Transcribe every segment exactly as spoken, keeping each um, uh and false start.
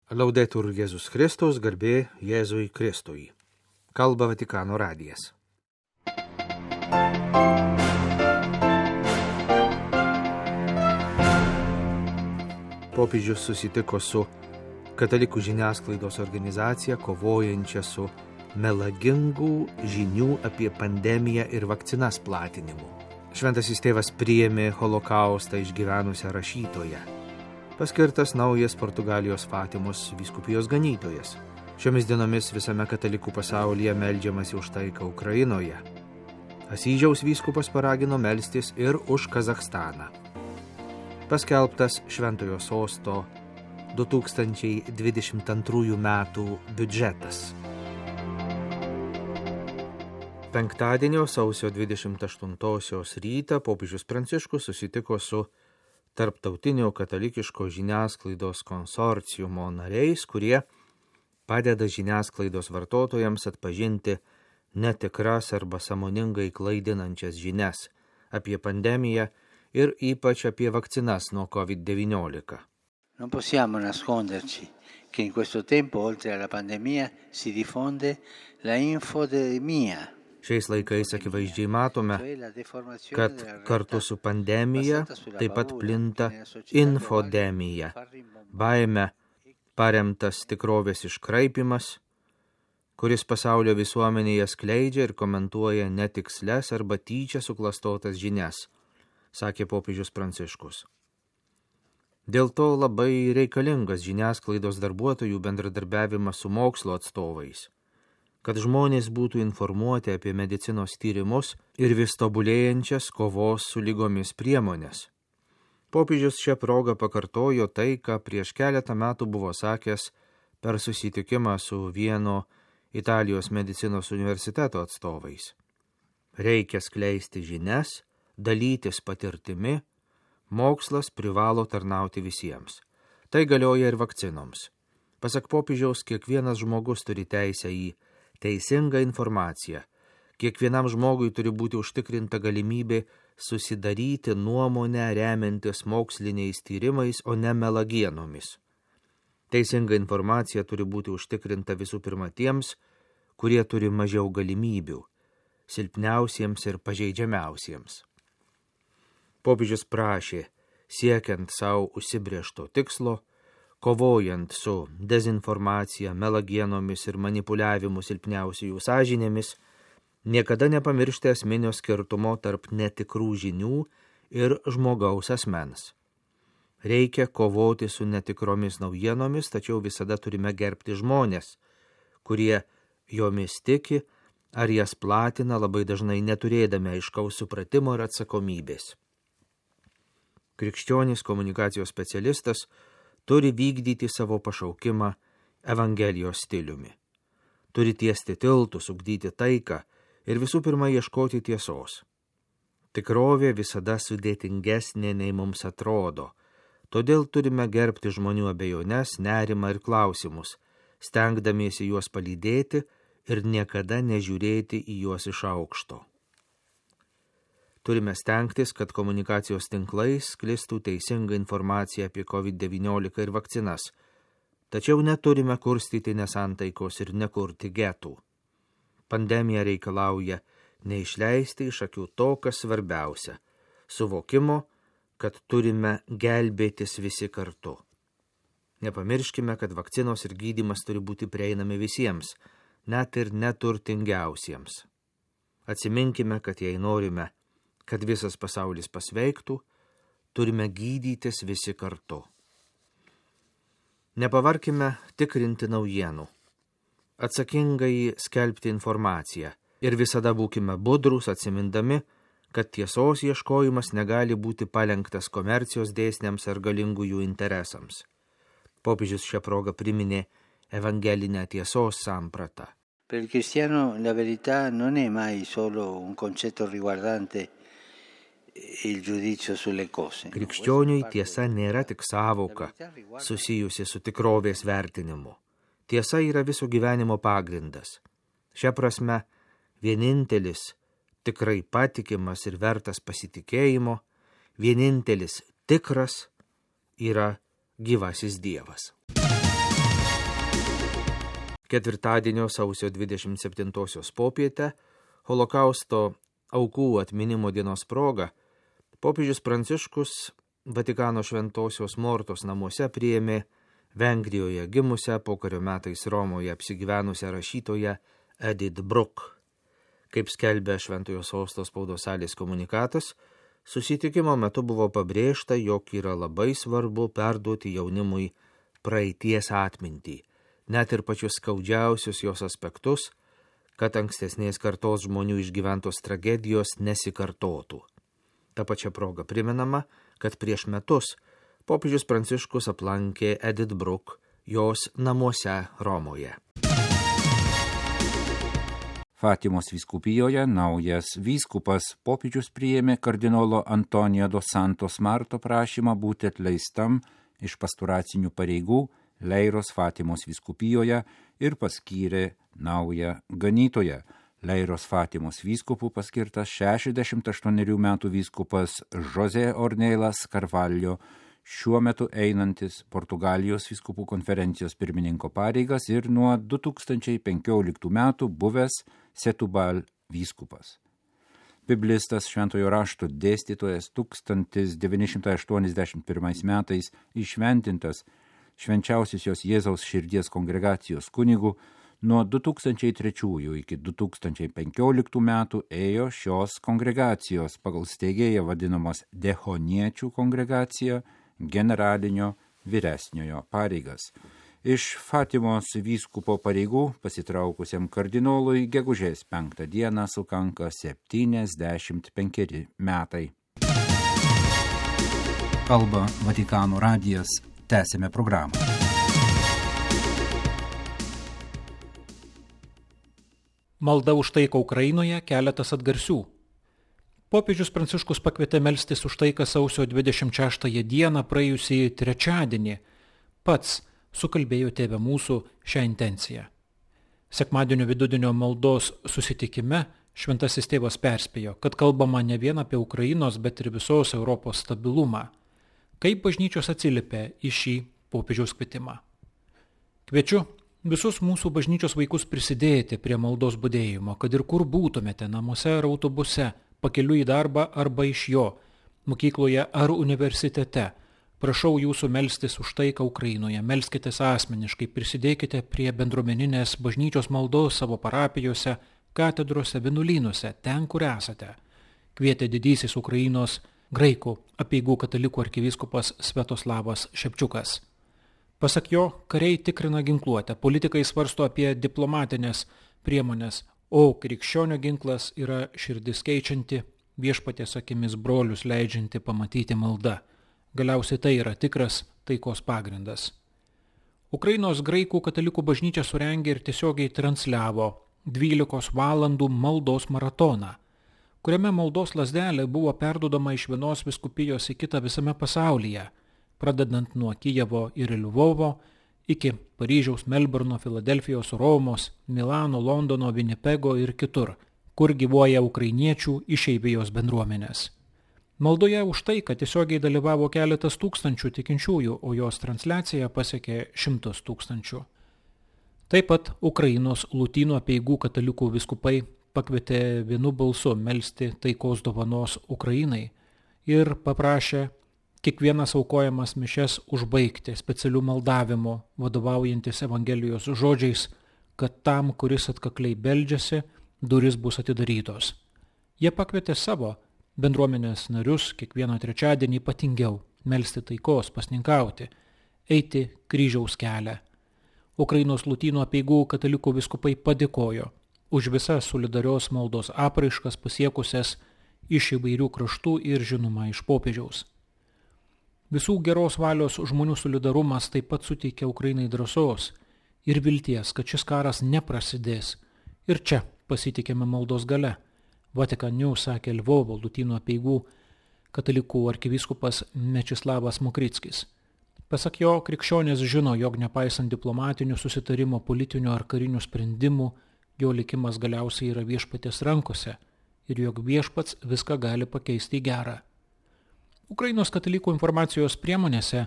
Laudetur Jėzus Kristus, garbė Jėzui Kristui. Kalba Vatikano radijas. Popiežius susitiko su katalikų žiniasklaidos organizacija, kovojančia su melagingų žinių apie pandemiją ir vakcinas platinimu. Šventasis tėvas priėmė holokaustą išgyvenusią rašytoją. Paskirtas naujas Portugalijos Fatimos vyskupijos ganytojas. Šiomis dienomis visame katalikų pasaulyje meldžiamasi už taiką Ukrainoje. Asyžiaus vyskupas paragino melstis ir už Kazachstaną. Paskelbtas Šventojo sosto du tūkstančiai dvidešimt antrųjų metų biudžetas. Penktadienio sausio dvidešimt aštuntosios rytą popiežius Pranciškus susitiko su Tarptautinio katalikiško žiniasklaidos konsorciumo nariais, kurie padeda žiniasklaidos vartotojams atpažinti netikras arba sąmoningai klaidinančias žinias apie pandemiją ir ypač apie vakcinas nuo covid devyniolika. Non possiamo nasconderci che in questo tempo, oltre alla pandemia, si diffonde la infodemia. Šiais laikais akivaizdžiai matome, kad kartu su pandemija taip pat plinta infodemija, baime paremtas tikrovės iškraipimas, kuris pasaulio visuomenėje skleidžia ir komentuoja netikslias arba tyčia suklastotas žinias, sakė popiežius Pranciškus. Dėl to labai reikalingas žiniasklaidos darbuotojų bendradarbiavimas su mokslo atstovais, kad žmonės būtų informuoti apie medicinos tyrimus ir vis tobulėjančias kovos su lygomis priemonės. Popiežius šią progą pakartojo tai, ką prieš keletą metų buvo sakęs per susitikimą su vieno Italijos medicinos universiteto atstovais. Reikia skleisti žinias, dalytis patirtimi, mokslas privalo tarnauti visiems. Tai galioja ir vakcinoms. Pasak popiežiaus, kiekvienas žmogus turi teisę į teisingą informaciją. Kiekvienam žmogui turi būti užtikrinta galimybė susidaryti nuomonę remiantis moksliniais tyrimais, o ne melagienomis. Teisinga informacija turi būti užtikrinta visų pirma tiems, kurie turi mažiau galimybių, silpniausiems ir pažeidžiamiausiems. Popiežius prašė, siekiant savo užsibrėžto tikslo, kovojant su dezinformacija, melagienomis ir manipuliavimu silpniausiųjų sąžinėmis, niekada nepamiršti esminio skirtumo tarp netikrų žinių ir žmogaus asmens. Reikia kovoti su netikromis naujienomis, tačiau visada turime gerbti žmonės, kurie jomis tiki ar jas platina, labai dažnai neturėdami aiškaus supratimo ir atsakomybės. Krikščionis komunikacijos specialistas turi vykdyti savo pašaukimą Evangelijos stiliumi. Turi tiesti tiltus, ugdyti taiką ir visų pirma ieškoti tiesos. Tikrovė visada sudėtingesnė nei mums atrodo, todėl turime gerbti žmonių abejones, nerimą ir klausimus, stengdamiesi juos palydėti ir niekada nežiūrėti į juos iš aukšto. Turime stengtis, kad komunikacijos tinklais sklistų teisinga informacija apie covid devyniolika ir vakcinas, tačiau neturime kurstyti nesantaikos ir nekurti getų. Pandemija reikalauja neišleisti iš akių to, kas svarbiausia – suvokimo, kad turime gelbėtis visi kartu. Nepamirškime, kad vakcinos ir gydymas turi būti prieinami visiems, net ir neturtingiausiems. Atsiminkime, kad jei norime, kad visas pasaulis pasveiktų, turime gydytis visi kartu. Nepavarkime tikrinti naujienų, atsakingai skelbti informaciją ir visada būkime budrūs, atsimindami, kad tiesos ieškojimas negali būti palenktas komercijos dėsniams ar galingųjų interesams. Popiežius šią progą priminė evangelinę tiesos sampratą. Per il cristiano la verità non è mai solo un concetto riguardante il giudizio sulle cose. Krikščioniui tiesa nėra tik sąvoka susijusi su tikrovės vertinimu. Tiesa yra viso gyvenimo pagrindas. Šia prasme, vienintelis tikrai patikimas ir vertas pasitikėjimo, vienintelis tikras yra gyvasis Dievas. Ketvirtadienio sausio dvidešimt septintosios popietę, Holokausto aukų atminimo dienos proga, popiežius Pranciškus Vatikano Šventosios Mortos namuose priėmė Vengrijoje gimusią, pokario metais Romoje apsigyvenusią rašytoją Edith Bruck. Kaip skelbė Šventojo Sosto spaudos salės komunikatas, susitikimo metu buvo pabrėžta, jog yra labai svarbu perduoti jaunimui praeities atmintį, net ir pačius skaudžiausius jos aspektus, kad ankstesnės kartos žmonių išgyventos tragedijos nesikartotų. Ta pačia proga primenama, kad prieš metus popiežius Pranciškus aplankė Edith Bruck jos namuose Romoje. Fatimos vyskupijoje naujas vyskupas popiežius priėmė kardinolo Antonijo dos Santos Marto prašymą būti atleistam iš pastoracinių pareigų Leiros Fatimos vyskupijoje ir paskyrė naują ganytoją. Leiros Fatimos vyskupų paskirtas šešiasdešimt aštuonerių metų vyskupas José Ornelas Carvalho, šiuo metu einantis Portugalijos vyskupų konferencijos pirmininko pareigas ir nuo du tūkstančiai penkioliktų metų buvęs Setubal vyskupas. Biblistas Šventojo rašto dėstytojas tūkstantis devyni šimtai aštuoniasdešimt pirmais metais išventintas Švenčiausiosios Jėzaus širdies kongregacijos kunigu, nuo du tūkstančiai trečiųjų iki du tūkstančiai penkioliktų metų ėjo šios kongregacijos pagal steigėją vadinamos Dehoniečių kongregacija generalinio vyresniojo pareigas. Iš Fatimos vyskupo pareigų pasitraukusiam kardinolui gegužės penktą dieną sukanka septyniasdešimt penkeri metai. Kalba Vatikano radijas. Tęsime programą. Malda už taiką Ukrainoje, keletas atgarsių. Popiežius Pranciškus pakvietė melstis už taiką sausio dvidešimt šeštąją dieną praėjusį trečiadienį. Pats sukalbėjo Tėve mūsų šią intenciją. Sekmadienio vidudienio maldos susitikime Šventasis Tėvas perspėjo, kad kalbama ne vien apie Ukrainos, bet ir visos Europos stabilumą. Kaip bažnyčios atsiliepė į šį popiežiaus kvietimą? Kviečiu visus mūsų bažnyčios vaikus prisidėti prie maldos budėjimo, kad ir kur būtumėte, namuose ar autobuse, pakeliui į darbą arba iš jo, mokykloje ar universitete. Prašau jūsų melstis už taiką Ukrainoje, melskitės asmeniškai, prisidėkite prie bendruomeninės bažnyčios maldos savo parapijose, katedrose, vienuolynuose, ten, kur esate. Kvietė didysis Ukrainos graikų apeigų katalikų arkivyskupas Sviatoslavas Šepčiukas. Pasak jo, kariai tikrina ginkluotę, politikai svarsto apie diplomatinės priemonės, o krikščionio ginklas yra širdis keičianti, viešpaties akimis brolius leidžianti pamatyti malda. Galiausiai tai yra tikras taikos pagrindas. Ukrainos graikų katalikų bažnyčia surengė ir tiesiogiai transliavo dvylikos valandų maldos maratoną, kuriame maldos lazdelė buvo perduodama iš vienos vyskupijos į kitą visame pasaulyje, pradedant nuo Kijevo ir Lvovo iki Paryžiaus, Melburno, Filadelfijos, Romos, Milano, Londono, Vinipego ir kitur, kur gyvuoja ukrainiečių išeivijos bendruomenės. Maldoje už tai, kad tiesiogiai dalyvavo keletas tūkstančių tikinčiųjų, o jos transliacija pasiekė šimtus tūkstančių. Taip pat Ukrainos Lūtynų apeigų katalikų vyskupai pakvietė vienu balsu melsti taikos dovanos Ukrainai ir paprašė kiekvienas aukojamas mišias užbaigti specialių maldavimų, vadovaujantis Evangelijos žodžiais, kad tam, kuris atkakliai beldžiasi, durys bus atidarytos. Jie pakvietė savo bendruomenės narius kiekvieną trečiadienį ypatingiau melsti taikos, pasninkauti, eiti kryžiaus kelią. Ukrainos Lūtynų apeigų katalikų vyskupai padėkojo už visas solidarios maldos apraiškas pasiekusias iš įvairių kraštų ir žinoma iš popiežiaus. Visų geros valios žmonių solidarumas taip pat suteikia Ukrainai drąsos ir vilties, kad šis karas neprasidės. Ir čia pasitikėme maldos gale. Vatican News sakė Lvovo Lūtynų apeigų katalikų arkivyskupas Mečislavas Mokrickis. Pasak jo, krikščionys žino, jog nepaisant diplomatinių susitarimo, politinių ar karinių sprendimų, jo likimas galiausiai yra viešpaties rankose ir jog viešpats viską gali pakeisti į gerą. Ukrainos katalikų informacijos priemonėse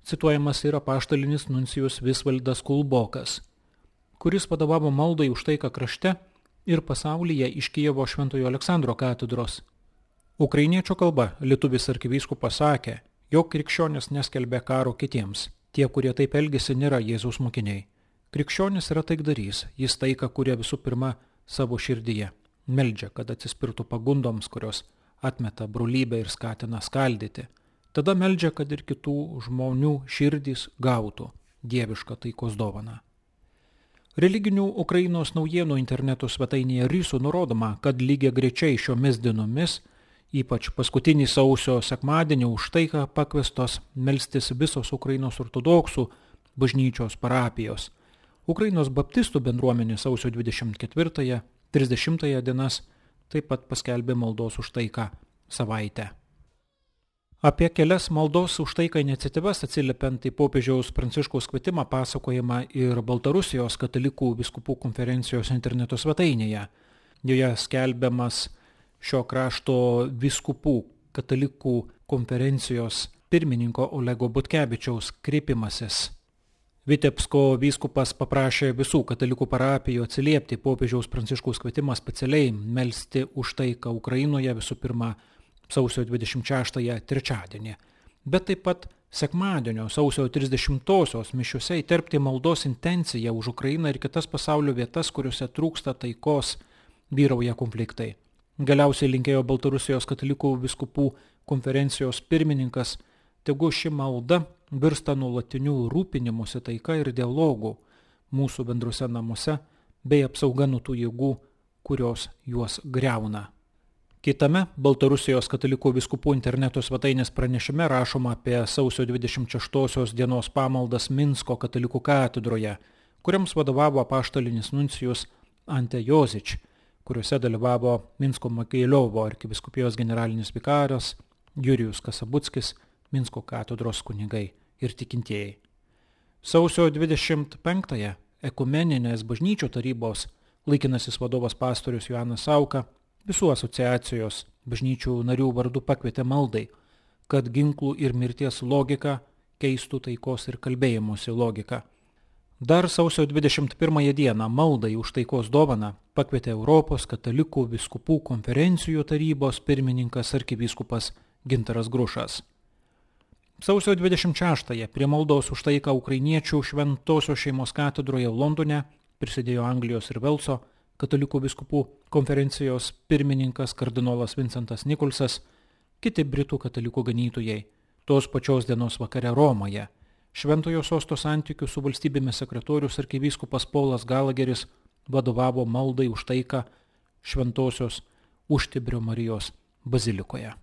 cituojamas yra apaštalinis nuncijus Visvaldas Kulbokas. kuris vadovavo maldai už taiką krašte ir pasaulyje iš Kijevo Šventojo Aleksandro katedros. Ukrainiečio kalba lietuvis arkivyskupas sakė, jog krikščionis neskelbė karo kitiems. Tie, kurie taip elgesi, nėra Jėzaus mokiniai. Krikščionis yra taikdarys, jis taiką kuria visų pirma savo širdyje. Meldžia, kad atsispirtų pagundoms, kurios atmeta brolybę ir skatina skaldyti. Tada meldžia, kad ir kitų žmonių širdys gautų dievišką taikos dovaną. Religinių Ukrainos naujienų interneto svetainėje Rysų nurodoma, kad lygiai grečiai šiomis dienomis, ypač paskutinį sausio sekmadienį, už taiką pakviestos melstis visos Ukrainos ortodoksų bažnyčios parapijos. Ukrainos baptistų bendruomenė sausio dvidešimt ketvirtąją trisdešimtąją dienas taip pat paskelbė maldos už taiką savaitę. Apie kelias maldos už taiką iniciatyvas atsiliepiant į popiežiaus Pranciškaus kvietimą pasakojama ir Baltarusijos katalikų vyskupų konferencijos interneto svetainėje. Joje skelbiamas šio krašto vyskupų katalikų konferencijos pirmininko Olego Butkevičiaus kreipimasis. Vitebsko vyskupas paprašė visų katalikų parapijų atsiliepti popiežiaus Pranciškaus kvietimą specialiai melsti už taiką Ukrainoje visų pirma sausio dvidešimt šeštąją trečiadienį, bet taip pat sekmadienio sausio trisdešimtosios mišiuose įterpti maldos intenciją už Ukrainą ir kitas pasaulio vietas, kuriuose trūksta taikos, vyrauja konfliktai. Galiausiai linkėjo Baltarusijos katalikų vyskupų konferencijos pirmininkas, tegu ši malda virsta nuolatiniu rūpinimusi taika ir dialogu mūsų bendruose namuose bei apsauga nuo tų jėgų, kurios juos griauna. Kitame Baltarusijos katalikų vyskupų interneto svetainės pranešime rašoma apie sausio dvidešimt šeštosios dienos pamaldas Minsko katalikų katedroje, kuriams vadovavo apaštalinis nuncijus Ante Jozič, kuriuose dalyvavo Minsko Mokeiliovo arkivyskupijos generalinis vikaras Jurijus Kasabuckis, Minsko katedros kunigai ir tikintieji. Sausio dvidešimt penktąją ekumeninės bažnyčių tarybos laikinasis vadovas pastorius Joanas Sauka visų asociacijos bažnyčių narių vardu pakvietė maldai, kad ginklų ir mirties logika keistų taikos ir kalbėjimosi logiką. Dar sausio dvidešimt pirmąją dieną maldai už taikos dovaną pakvietė Europos katalikų vyskupų konferencijų tarybos pirmininkas arkivyskupas Gintaras Grušas. Sausio dvidešimt šeštąją prie maldos už taiką ukrainiečių Šventosios šeimos katedroje Londone prisidėjo Anglijos ir Velso katalikų vyskupų konferencijos pirmininkas kardinolas Vincentas Nikolsas, kiti britų katalikų ganytojai. Tos pačios dienos vakare Romoje Šventojo sosto santykių su valstybėmis sekretorius arkivyskupas Paulas Galageris vadovavo maldai už taiką Šventosios Užtibrio Marijos bazilikoje.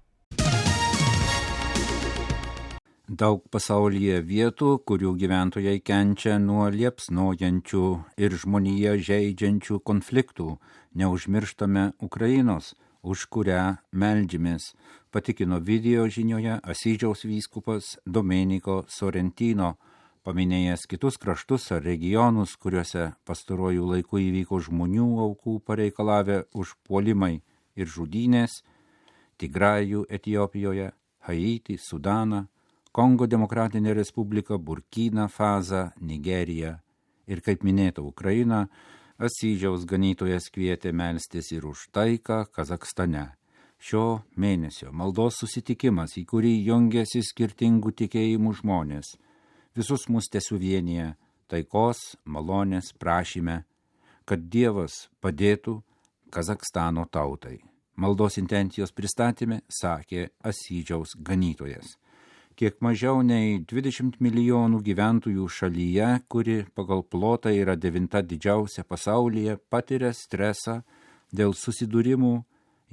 Daug pasaulyje vietų, kurių gyventojai kenčia nuo liepsnojančių ir žmoniją žeidžiančių konfliktų. Neužmirštame Ukrainos, už kurią meldžiamės, patikino video žinioje Asyžiaus vyskupas Domeniko Sorrentino, paminėjęs kitus kraštus ar regionus, kuriuose pastaruoju laiku įvyko žmonių aukų pareikalavę užpuolimai ir žudynės, Tigrajų Etiopijoje, Haitį, Sudaną, Kongo Demokratinė Respublika, Burkina Fasą, Nigerija ir, kaip minėta, Ukraina, Asyžiaus ganytojas kvietė melstis ir už taiką Kazakstane. Šio mėnesio maldos susitikimas, į kurį jungiasi skirtingų tikėjimų žmonės, visus mus tesuvienyje taikos, malonės prašyme, kad Dievas padėtų Kazakstano tautai. Maldos intencijos pristatyme sakė Asyžiaus ganytojas. Kiek mažiau nei dvidešimt milijonų gyventojų šalyje, kuri pagal plotą yra devinta didžiausia pasaulyje, patiria stresą dėl susidūrimų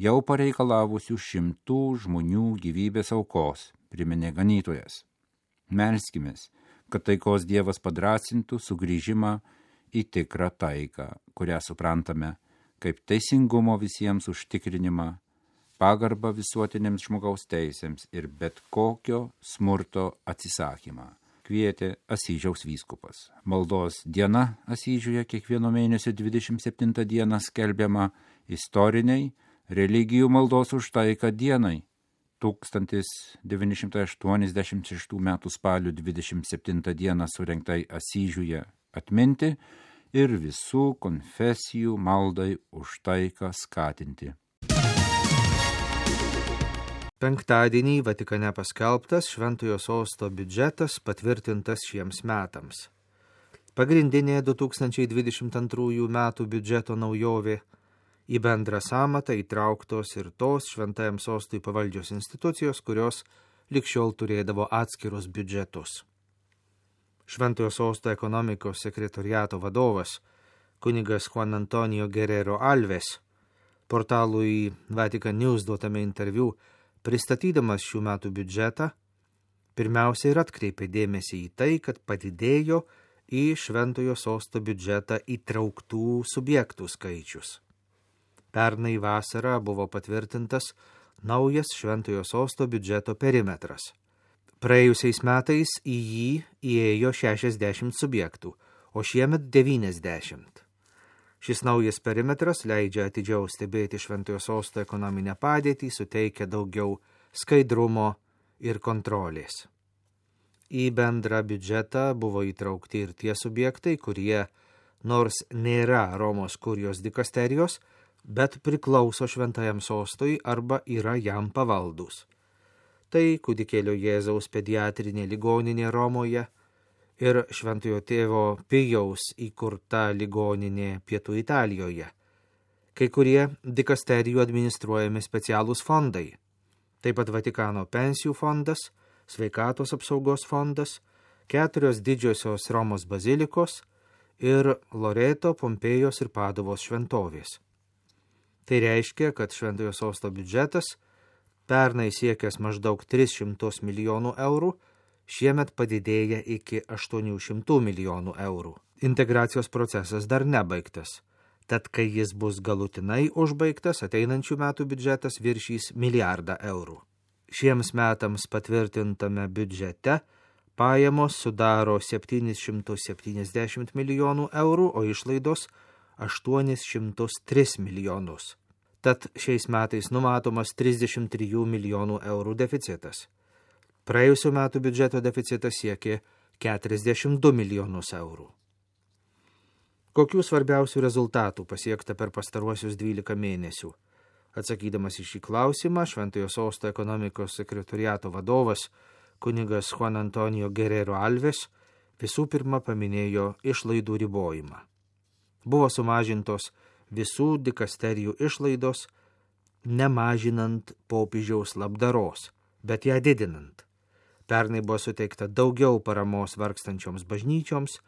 jau pareikalavusių šimtų žmonių gyvybės aukos, priminė ganytojas. Melskimės, kad taikos Dievas padrasintų sugrįžimą į tikrą taiką, kurią suprantame kaip teisingumo visiems užtikrinimą, pagarbą visuotinėms žmogaus teisėms ir bet kokio smurto atsisakymą, kvietė Asyžiaus vyskupas. Maldos diena Asyžiuje kiekvieno mėnesio dvidešimt septintą dieną skelbiama istoriniai religijų maldos už taiką dienai. tūkstantis devyni šimtai aštuoniasdešimt šeštų metų spalio dvidešimt septintą dieną surengtai Asyžiuje atminti ir visų konfesijų maldai už taiką skatinti. Penktadienį Vatikane paskelbtas Šventojo sosto biudžetas patvirtintas šiems metams. Pagrindinė du tūkstančiai dvidešimt antrųjų metų biudžeto naujovė – į bendrą sąmatą įtrauktos ir tos Šventajam sostui pavaldžios institucijos, kurios likščiol turėdavo atskirus biudžetus. Šventojo sosto ekonomikos sekretoriato vadovas, kunigas Juan Antonio Guerrero Alves, portalui Vatican News duotame interviu, pristatydamas šių metų biudžetą, pirmiausia ir atkreipė dėmesį į tai, kad padidėjo į Šventojo sosto biudžetą įtrauktų subjektų skaičius. Pernai vasarą buvo patvirtintas naujas Šventojo sosto biudžeto perimetras. Praėjusiais metais į jį įėjo šešiasdešimt subjektų, o šiemet devyniasdešimt. Šis naujas perimetras leidžia atidžiau stebėti Šventojo sosto ekonominę padėtį, suteikia daugiau skaidrumo ir kontrolės. Į bendrą biudžetą buvo įtraukti ir tie subjektai, kurie, nors nėra Romos kurijos dikasterijos, bet priklauso Šventajam sostui arba yra jam pavaldus. Tai Kūdikėlio Jėzaus pediatrinė ligoninė Romoje ir Šventojo tėvo Pijaus įkurta ligoninė Pietų Italijoje. Kai kurie dikasterijų administruojami specialūs fondai. Taip pat Vatikano pensijų fondas, sveikatos apsaugos fondas, keturios didžiosios Romos bazilikos ir Loreto, Pompėjos ir Paduvos šventovės. Tai reiškia, kad Šventojo sosto biudžetas, pernai siekęs maždaug tris šimtus milijonų eurų, šiemet padidėja iki aštuonių šimtų milijonų eurų. Integracijos procesas dar nebaigtas, tad kai jis bus galutinai užbaigtas, ateinančių metų biudžetas viršys milijardą eurų. Šiems metams patvirtintame biudžete pajamos sudaro septynis šimtus septyniasdešimt milijonų eurų, o išlaidos aštuonis šimtus tris milijonus. Tad šiais metais numatomas trisdešimt trijų milijonų eurų deficitas. Praėjusių metų biudžeto deficitas siekė keturiasdešimt du milijonus eurų. Kokių svarbiausių rezultatų pasiekta per pastaruosius dvylika mėnesių? Atsakydamas į šį klausimą, Šventojo sosto ekonomikos sekretoriato vadovas, kunigas Juan Antonio Guerrero Alves, visų pirma paminėjo išlaidų ribojimą. Buvo sumažintos visų dikasterijų išlaidos, nemažinant popiežiaus labdaros, bet ją didinant. Pernai buvo suteikta daugiau paramos vargstančioms bažnyčioms,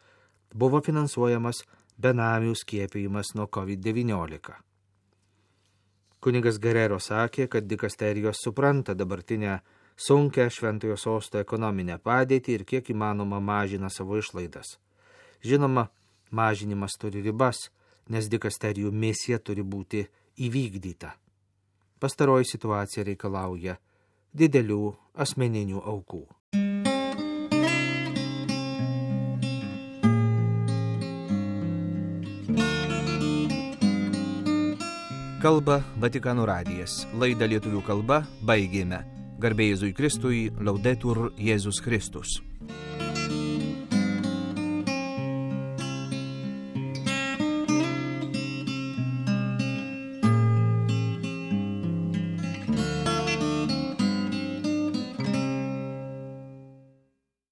buvo finansuojamas benamių skiepijimas nuo kovid devyniolika. Kunigas Guerrero sakė, kad dikasterijos supranta dabartinę sunkią Šventojo sosto ekonominę padėtį ir kiek įmanoma mažina savo išlaidas. Žinoma, mažinimas turi ribas, nes dikasterijų misija turi būti įvykdyta. Pastaroji situacija reikalauja didelių asmeninių aukų. Kalba Vatikano radijas. Laidą lietuvių kalba baigėme. Garbė Jėzui Kristui, Laudetur Jėzus Kristus.